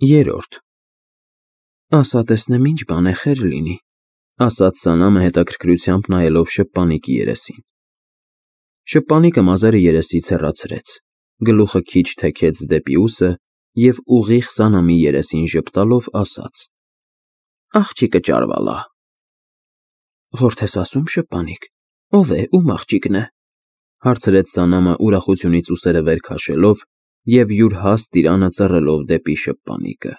Երրորդ Ասա տեսնեմ ինչ բան է խեր լինի, ասաց Սանամը հետաքրքրությամբ նայելով շփպանիկի երեսին։ Շփպանիկը մազերը երեսից հեռացրեց, գլուխը քիչ թեքեց դեպի ուսը և ուղիղ Սանամի երեսին ժպտալով ասաց. Աղջիկը ճարվալա։ Ղորդ ես ասում, շփպանիկ, ով է, ում աղջիկն է, հարցրեց Սանամը ուրախությունից ուսերը վեր քաշելով և յուր հաստ ծիրանը ծռելով դեպի շփպանիկը։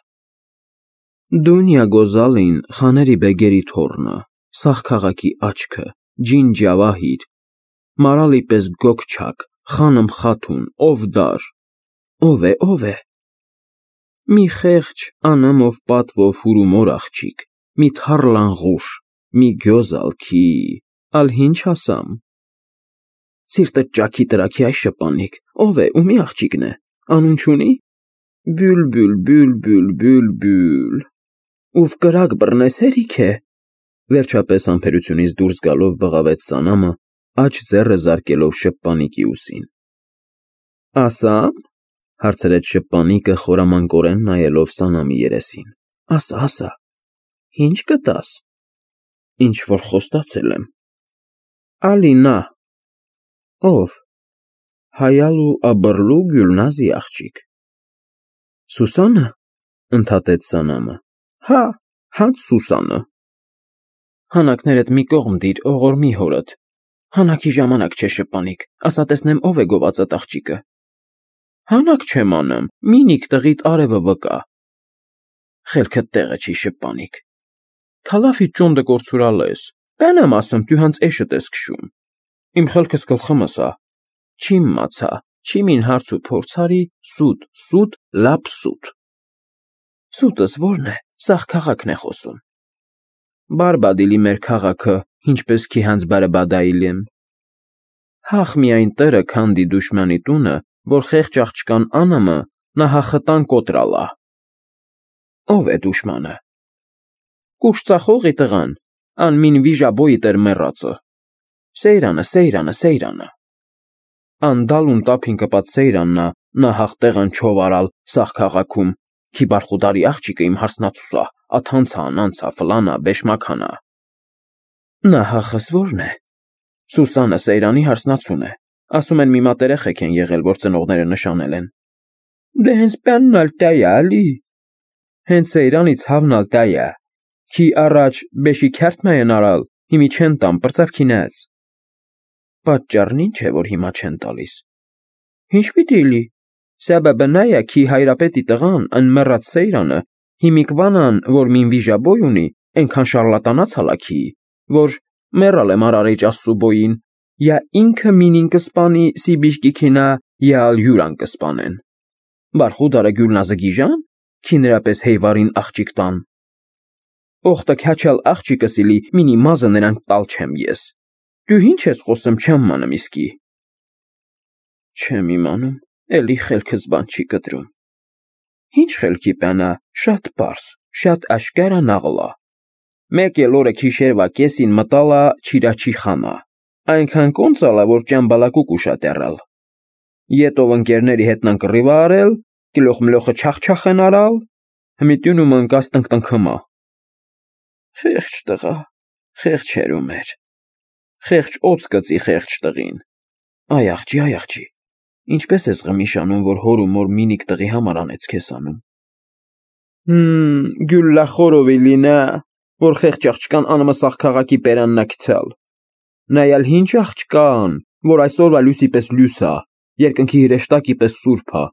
Դունյա Գոզալին Խաների բեգերի թոռնը, Սաղ քաղաքի աչքը, ջին ջավահիր, մարալի պես գոգչակ, խանմ խաթուն, Օվդար, ով է։ Մի խեղճ անամով պատվով հուրումոր աղջիկ, մի թառլանղուշ, մի գյոզալքի, ալ ինչ ասամ։ Սիրտը ճաքի տրաքի այ շփպանիկ, ով է, ումի աղջիկն է, անուն չունի։ Բյուլ, ուվ կրակ բռնես հերիք է, վերջապես համբերությունից դուրս գալով բղավեց Սանամը, աջ ձեռը զարկելով շփպանիկի ուսին։ Ասա՞մ, հարցրեց շփպանիկը խորամանկորեն նայելով Սանամի երեսին։ Ասա, ինչ կտաս։ Ինչ որ խոստացել եմ։ Ալինա։ Ով։ Հայալու աբռլու Գյուլնազի աղջիկ։ Սուսանը, ընդհատեց Սանամը։ Հա, հենց Սուսանը։ Հանակներդ մի կողմ դիր, օղորմի հորդ։ Հանակի ժամանակ չէ, շփպանիկ, ասա տեսնեմ ով է գովածդ աղջիկը։ Հանակ չեմ անում, մինիք տղիդ արևը վկա։ Խելքդ տեղը չի, շփպանիկ։ Քալաֆի ճոնդը կորցուրալ ես, բենեմ ասում, դու հենց էշդ ես քշում։ Իմ խելքս գլխումս ա։ Չիմ մացա, չիմին հարց ու փորձարի, սուտ, լապ սուտ։ Սուտս որն է, Սաղ քաղաքն է խոսում։ Բարբադիլի մեր քաղաքը, ինչպես քի հանց բարբադայիլին։ Հախ միայն տրը քանդի դուշմանի տունը, որ խեղճ աղջկան անամը նահախտան կոտրալա։ Ով է դուշմանը։ Կուշծախողի տղան, անմին վիժաբոյի տեր մեռածը։ Սեյրանը։ Անդալուն տափին կպած Սեյրաննա նահախ տեղան չովարալ Սաղ քաղաքում, քի բարխուդարի աղջիկը իմ հարսնացուսա, անցա, ֆլանա, բեշմաքանա։ Նահախս որն է։ Սուսանը Սեյրանի հարսնացուն է, ասում են մի մատ երեխեք են եղել, որ ծնողները նշանել են։ Դե հենց պյաննալ տայա, ալի։ Հենց Սեյրանից հավնալ տայա, քի առաջ բեշի քյարթմա են արալ, հիմի չեն տամ, պրծավ քինած։ Պատճառն ինչ է, որ հիմա չեն տալիս։ Ինչ պիտի լի, սաբաբը նայա, քի հայրապետի տղան, ան մեռած Սեյրանը, հիմիկվանան, որ մին վիժաբոյ ունի, ենքան շարլատանաց հալաքի, որ մեռալ է մարարեջ ասսուբոյին, յա ինքը մինին կսպանի սիբիշկի քինա, յա ալ յուրան կսպանեն։ Բարխուդարը Գյուլնազը գիժան, քի նրապես հեյվարին աղջիկ տան։ Օխտը քյաչալ աղջիկը սիլի, մինի մազը նրան տալ չեմ ես։ Դու ինչ ես խոսում չեմ մանım իսկի։ Չեմ իմանում, էլի խելքս բան չի կտրում։ Ինչ խելքի պանա, շատ պարս, շատ աշկարա նաղլա։ Մեկ էլ օրը քիշերվա կեսին մտալա չիրաչի խանա։ Այնքան կոնցալա, որ ճամբալակուկ ուշատեռալ։ Ետով ընկերների հետնան կռիվա արել, գլոխ մլոխը չախ են արալ, հմիտյունում ընկած տնկտնքմա։ Խեղճ տղա, խեղճ հերում էր։ Խեղճ օծ կծի խեղճ տղին։ Այ աղջի, ինչպես ես ғմիշանում, որ հոր ու մոր մինիք տղի համար անեց քեզ անում։ Գյուլլախորովի լինա, որ խեղճ աղջկան անմը Սաղ քաղաքի պերաննա գցալ։ Նայալ ինչ աղջկան, որ այսօրվա լույսի պես լույսա, երկնքի հրեշտակի պես սուրբա։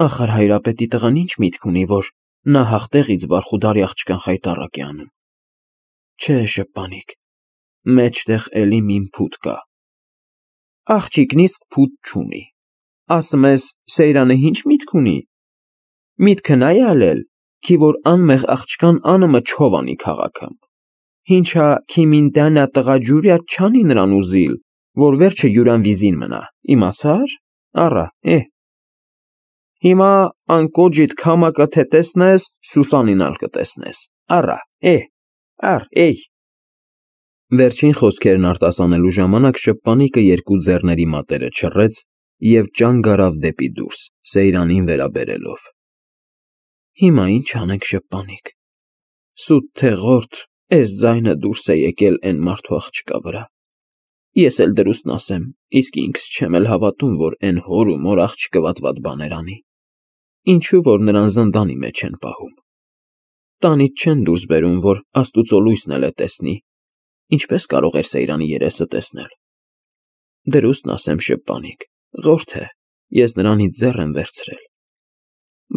Ախար հայրապետի տղան ինչ միտք ունի, որ նա հաղթեղից բարխուդարի աղջկան խայտառակ է անում։ Չէ, շփպանիկ, մեջտեղ էլի մին փուտ կա։ Աղջիկն իսկ փուտ չունի։ Ասում ես, Սեյրանը ինչ միտք ունի։ Միտքը նա ալել, քի որ անմեղ աղջկան անմը չովանի քաղաքում։ Ինչա քիմին դանա տղա ջուրյա չանի նրան ուզիլ, որ վերջը յուրան վիզին մնա, իմացար։ Առա, Հիմա անկոջիտ քամակը թե տեսնես, Սուսանինալ կտեսնես։ Առա, Վերջին խոսքերն արտասանելու ժամանակ շփպանիկը երկու ձեռների մատերը չռեց և ճանգ արավ դեպի դուրս, Սեյրանին վերաբերելով։ Հիմա ինչ անենք շպանիկ։ Սուտ թե ղորդ, էս ձայնը դուրս է եկել էն մարդու աղջկա վրա։ Ես էլ դրուստն ասեմ, իսկ ինքս չեմ էլ հավատում, որ էն հոր ու մոր աղջիկը վատ բաներ անի։ Ինչու որ նրան զնդանի մեջ են պահում։ Տանից չեն դուրս բերում, որ Աստուծո լույսն էլ է տեսնի։ Ինչպես կարող էր Սեյրանի երեսը տեսնել։ Դրուստն ասեմ շպանիկ, ղորդ է, ես նրանից ձեռ եմ վերցրել։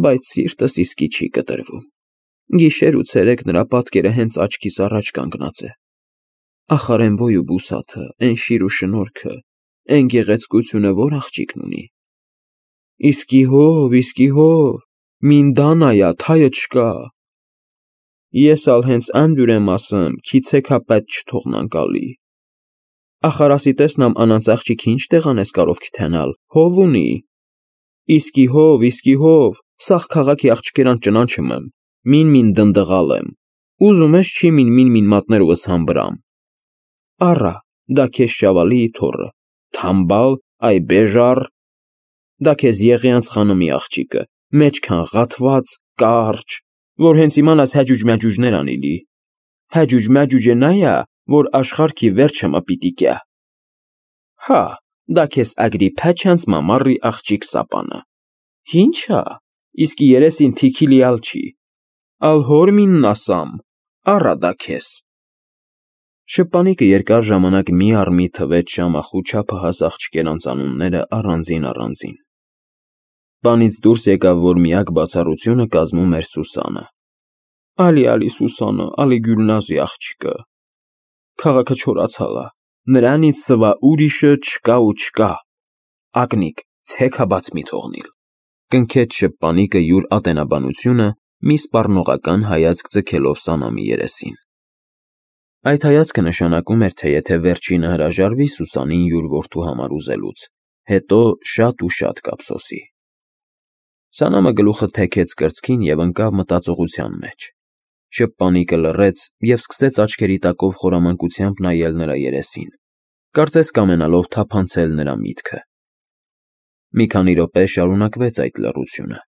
Բայց սիրտս իսկի չի կտրվում։ Գիշեր ու ցերեկ նրա պատկերը հենց աչքիս առաջ կանգնած է։ Ախար են ո՞յ ու բուսաթը, են շիր ու շնորհքը, են գեղեցկությունը որ աղջիկն ունի։ Իսկի հով, մինդանայա թայը չկա։ Ես ալ հենց անդուր եմ ասում, քիցեքա պետ չթողնան կալի։ Ախար ասի տեսնամ անանց աղջիկ ինչ տեղանես կարով քթենալ, հով ունի։ Իսկի հով, սաղ քաղաքի աղջկերան ճնանչում եմ, մին դնդղալ եմ, ուզում ես չի մին մատներովս համբրամ։ Առա, դա քեզ շավալի թորը, թամբալ, այ բեժար, դա քեզ Եղիանց խանմի աղջիկը, մեջքան ղաթված, կարճ, որ հենց իմանաս հաջուջ-մաջուջներ անիլի։ Հաջուջ-մաջուջը նայա, որ աշխարհքի վերջը մպիտի կյա։ Հա, դա քեզ Ագրիփա չանց մամառի աղջիկ սապանը։ Ինչա, իսկի երեսին թիքիլիալ չի։ Ալ հոր մինն ասամ, առա դա քեզ։ Շպանիկը երկար ժամանակ մի առ մի թվեց շամախու չափահաս աղջկերանց անունները առանձին։ Բանից դուրս եկավ, որ միակ բացառությունը կազմում էր Սուսանը։ Ալի Սուսանը, ալի Գյուլնազի աղջիկը։ Քաղաքը չորացալա, նրանից սվա ուրիշը չկա։ Ակնիկ, ցեքա բաց մի թողնիլ։ Կնքեց շպանիկը յուր ատենաբանությունը, մի սպառնողական հայացք ձգելով Սանամի երեսին։ Այդ հայացքը նշանակում էր, թե եթե վերջինը հրաժարվի Սուսանին յուր որդու համար ուզելուց, հետո շատ ու շատ կափսոսի։ Սանամը գլուխը թեքեց կրծքին և ընկավ մտածողության մեջ։ Շպանիկը լռեց և սկսեց աչքերի տակով խորամանկությամբ նայել նրա երեսին, կարծես կամենալով թափանցել նրա միտքը։ Մի քանի րոպե շարունակվեց այդ լռությունը։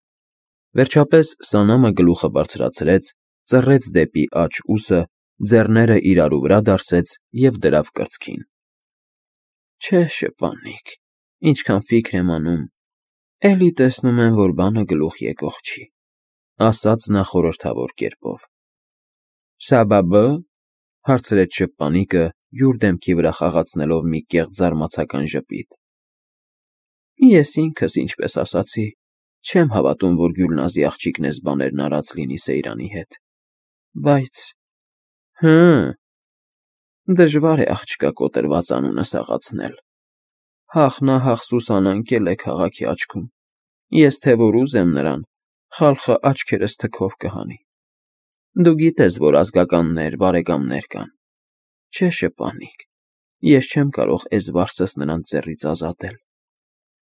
Վերջապես Սանամը գլուխը բարձրացրեց, ծռեց դեպի աջ ուսը, ձեռները իրարու վրա դարսեց և դրավ կրծքին։ Չէ, շպանիկ, ինչքան ֆիքր եմ անում, էլի տեսնում եմ, որ բանը գլուխ եկող չի, ասաց նա խորհրդավոր կերպով։ Սաբաբը, հարցրեց շպանիկը, յուր դեմքի վրա խաղացնելով մի կեղծ զարմացական ժպիտ։ Ես ինքս ինչպես ասացի, չեմ հավատում, որ Գյուլնազի աղջիկն էս բաներն արած լինի Սեյրանի հետ։ Բայց դժվար է աղջկա կոտրված անունը սաղացնել։ Հախնահախ Սուսան ընկել է քաղաքի աչքում։ Ես թե որ ուզեմ նրան, խալխը աչքերս թքով կհանի։ Դու գիտես, որ ազգականներ, բարեկամներ կան։ Չէ, շպանիկ, ես չեմ կարող էս վարսս նրանց ձեռից ազատել։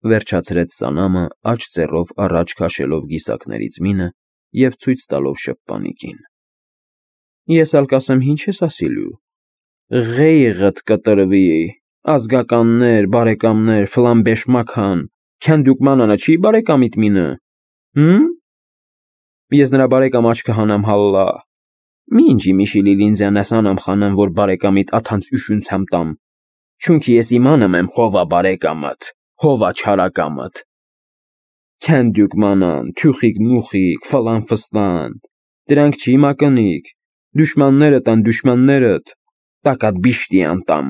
Վերջացրեց Սանամը, աջ ձեռով առաջ քաշելով գիսակներից մինը և ցույց տալով շպանիկին։ Ես ալ կասեմ ինչ ես ասիլու։ Ղեյղդ կտրվի, ազգականներ, բարեկամներ, ֆլամբեշմական, քանդուկմանանը չի բարեկամիտ մինը։ Ես նրա բարեկամ աչքը հանամ հալլա։ Մինջի միշիլի լինձյանես անամ խանեմ, որ բարեկամիտ աթանց üşունցամ տամ։ Չունքի ես իմանım եմ հովա բարեկամըտ, հովա չարակամըտ։ Քանդուկմանան, թյուխիկ մուխիկ, ֆլան ֆստան, դրանք չի մակնիկ, դուշմաններդ, տակատ բիշտի անտամ։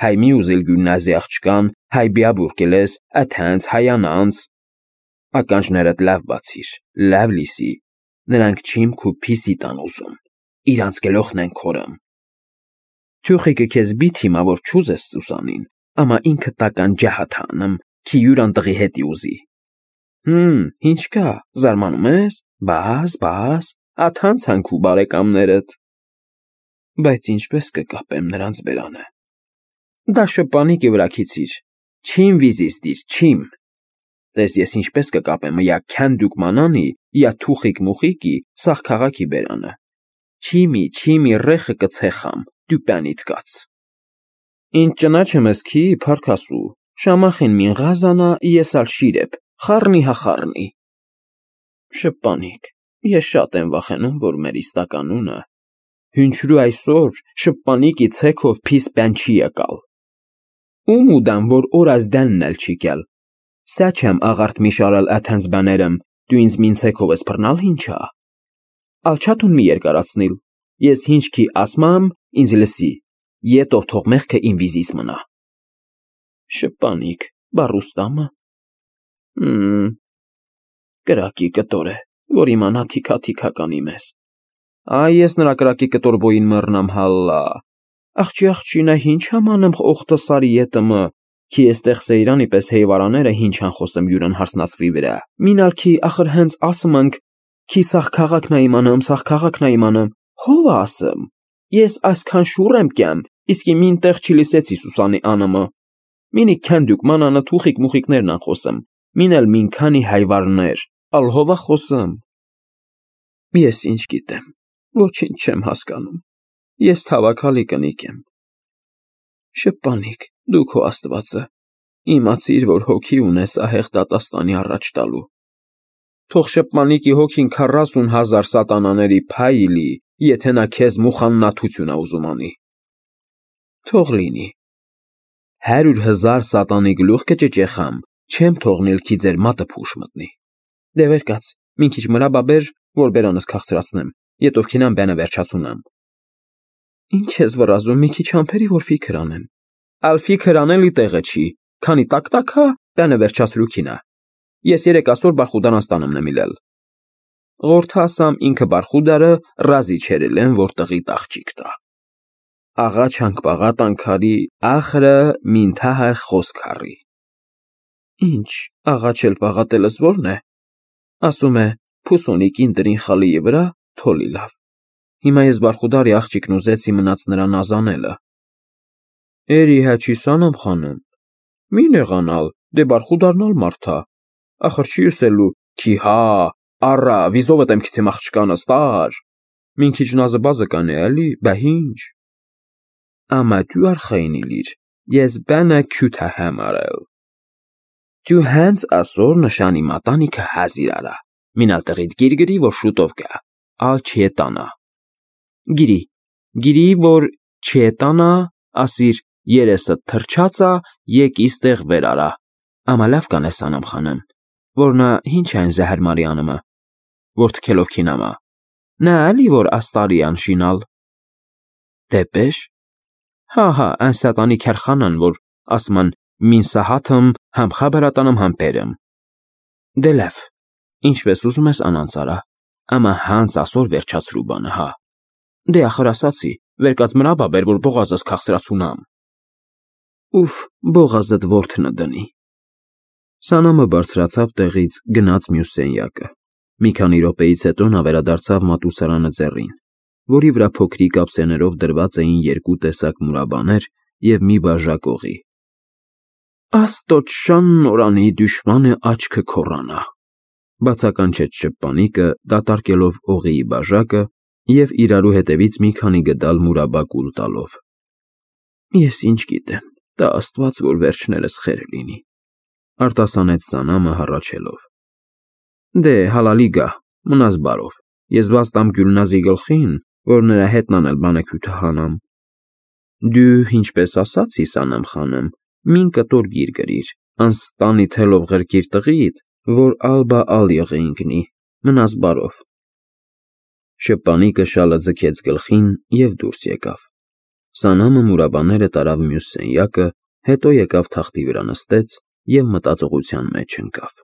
Հայ մի ուզիլ Գյուլնազի աղջկան, հայ բիաբուրկելես, աթանց, հայանանց։ Ականջներդ լավ բացիր, լավ լիսի, նրանք չիմ քու փիսի տան ուզում, իրանց գլոխն են քորում։ Թյուխիկը քեզ բիթ հիմա, որ չուզես Սուսանին, ամա ինքը տական ջահաթանım, քի յուրան տղի հետի ուզի։ Ինչ կա, զարմանում ես, բաս, աթանց հանքու բարեկամներդ։ Բայց ինչպես կկապեմ նրանց բերանը։ Դա շպանիկի վրա քիցիր, չիմ վիզիստիր, չիմ։ Տես ես ինչպես կկապեմ յա քանդուկմանանի, յա թուխիկ մուխիկի, սաղ քաղաքի բերանը։ Չիմի ռեխը կցեխամ, դյուպյանիտ կաց։ Ինչ ճնաչեմ ես քի, փարքասու, շամախին մին ղազանա, ես ալ շիրեպ, խառնի հա խառնի։ Շպանիկ, Ես շատ եմ վախենում, որ մեր իստականունը հունչրու այսօր շպանիկի ցեքով փիս բան չի եկալ։ Ում ուդամ, որ օրաս դանն էլ չի կել։ Սա չեմ աղարտ մի շարալ աթանց բաներեմ, դու ինձ մին ցեքով ես բռնալ հինչա։ Ալչատուն մի երկարացնիլ, ես հինչքի ասմամ, ինձ լսի, ետով թող մեղքը իմ վիզիս մնա։ Շպանիկ, բարուստամը։ Կրակի կտոր է, որ իմանա թիքա կանի մեզ։ Այ ես նրա կրակի կտոր բոյին մռնամ հալլա։ Աղջի հինչ ամանեմ օխտը սարի ետմը, Քի էստեղ սեյրանի պես հեյվարաները հինչ են խոսում յուրն հարսնացվի վրա։ Մինալ քի ախր հենց ասում ենք, քի սաղ քաղաքն է իմանամ, հով ասեմ։ Ես այսքան շուռ եմ կյամ, իսկի մին տեղ չի լսեցի Սուսանի անըմը։ Մինի քանդուկ մանանը թուխիկ մուխիկներն են խոսում, մինել մին քանի հայվարներ, ալ հովա խոսում։ Ես ինչ գիտեմ, ոչինչ չեմ հասկանում։ Ես թավակալի կնիկ եմ։ Շպանիկ, դու քո Աստվածը, իմացիր, որ հոգի ունես ահեղ դատաստանի առաջ տալու։ Թող շպանիկի հոգին 40,000 սատանաների փայլի, եթե նա քեզ մուխաննաթություն է ուզում անի։ Թող լինի։ 100,000 սատանի գլուխ կճճեխամ, չեմ թողնիլ քի ձեր մատը փուշ մտնի։ Դե վեր կաց, մին քիչ մրա բաբեր, որ բերանս քաղցրացնեմ, ետով քինան բանը վերջացունամ։ Ինչ ես վրազում, մի քիչ ամփերի, որ ֆիքր անեմ։ Ալֆի քրանելի տեղը չի, քանի տակ-տակա, բանը վերջացրու քինա։ Ես 3 ասոր բարխուդան ստանեմ նմիլել։ Ղորթասամ ինքը բարխուդարը ռազի չերելեն, որ տղի տաղջիկ տա։ Աղա չանք անքարի, ախրը մինթահար խոսքարի։ Ինչ, աղա չել պաղատելս որն է։ Ասում է, փուսոնիկին դրին խալիի վրա, թոլի լավ։ Հիմա ես բարխուդարի աղջիկն ուզեցի մնաց նրան ազանելը։ Էրի հաչի սանամ խանում։ Մի նեղանալ, դե բարխուդարնալ մարդա։ Ախր չի ուսելու, քի հա, առա, վիզովդ եմ քիցեմ աղջկանը ստար։ Մին քիչ նազը բազը կանե ալի, բա հինչ։ Ամա դու արխայինի լիր, ես բանը քյութա համարել։ Դու հենց ասոր նշանի մատանիքը հազիր արա։ Մինալ տղիդ գիրգրի, որ շուտով կա, ալ չետանա։ Գիրի, որ չետանա, ասիր երեսը թրջացա, եկ իստեղ վեր արա։ Ամա լավ կանես անամ խանեմ, որ նա հինչ այն զահր մարիանըմը, որ թքելով քինամա։ Նա ալի, որ աստարի անշինալ։ Դեպեշ։ Հա, այն սատանի քերխանան, որ ասման մին սահաթմ համ խաբարատանım համ բերեմ։ Դե լավ, ինչպես ուզում ես անանցարա, ամա հանց ասոր վերջացրու բանը, հա։ Դե ախր ասացի, վերկած մրա բաբեր, որ բողազս քաղցրացունամ։ Ուֆ, բողազդ որդնը դնի։ Սանամը բարձրացավ տեղից, գնաց մյուս սենյակը։ Մի քանի րոպեից հետո նա վերադարձավ մատուցարանը ձեռին, որի վրա փոքրիկ ափսեներով դրված էին 2 տեսակ մուրաբաներ և մի բաժակ օղի։ Աստոտ շան նորանի դուշմանը աչքը քորանա, բացականչեց շպանիկը, դատարկելով օղիի բաժակը և իրարու հետևից մի քանի գդալ մուրաբա կուլ տալով։ Ես ինչ գիտեմ, տա Աստված, որ վերջներս խեր լինի, արտասանեց Սանամը հառաչելով։ Դե հալալի գա, մնաս բարով, ես վաստամ Գյուլնազի գլխին, որ նրա հետն անել բանը քյութը հանամ։ Դու ինչպես ասացի Սանամ խանեմ, մին կտոր գիր գրիր, անստանի թելով ղրկիր տղիդ, որ ալբա ալ եղեինքնի, մնաս բարով։ Շպանիկը շալը ձգեց գլխին և դուրս եկավ։ Սանամը մուրաբաները տարավ մյուս սենյակը, հետո եկավ թախտի վրա նստեց և մտածողության մեջ ընկավ։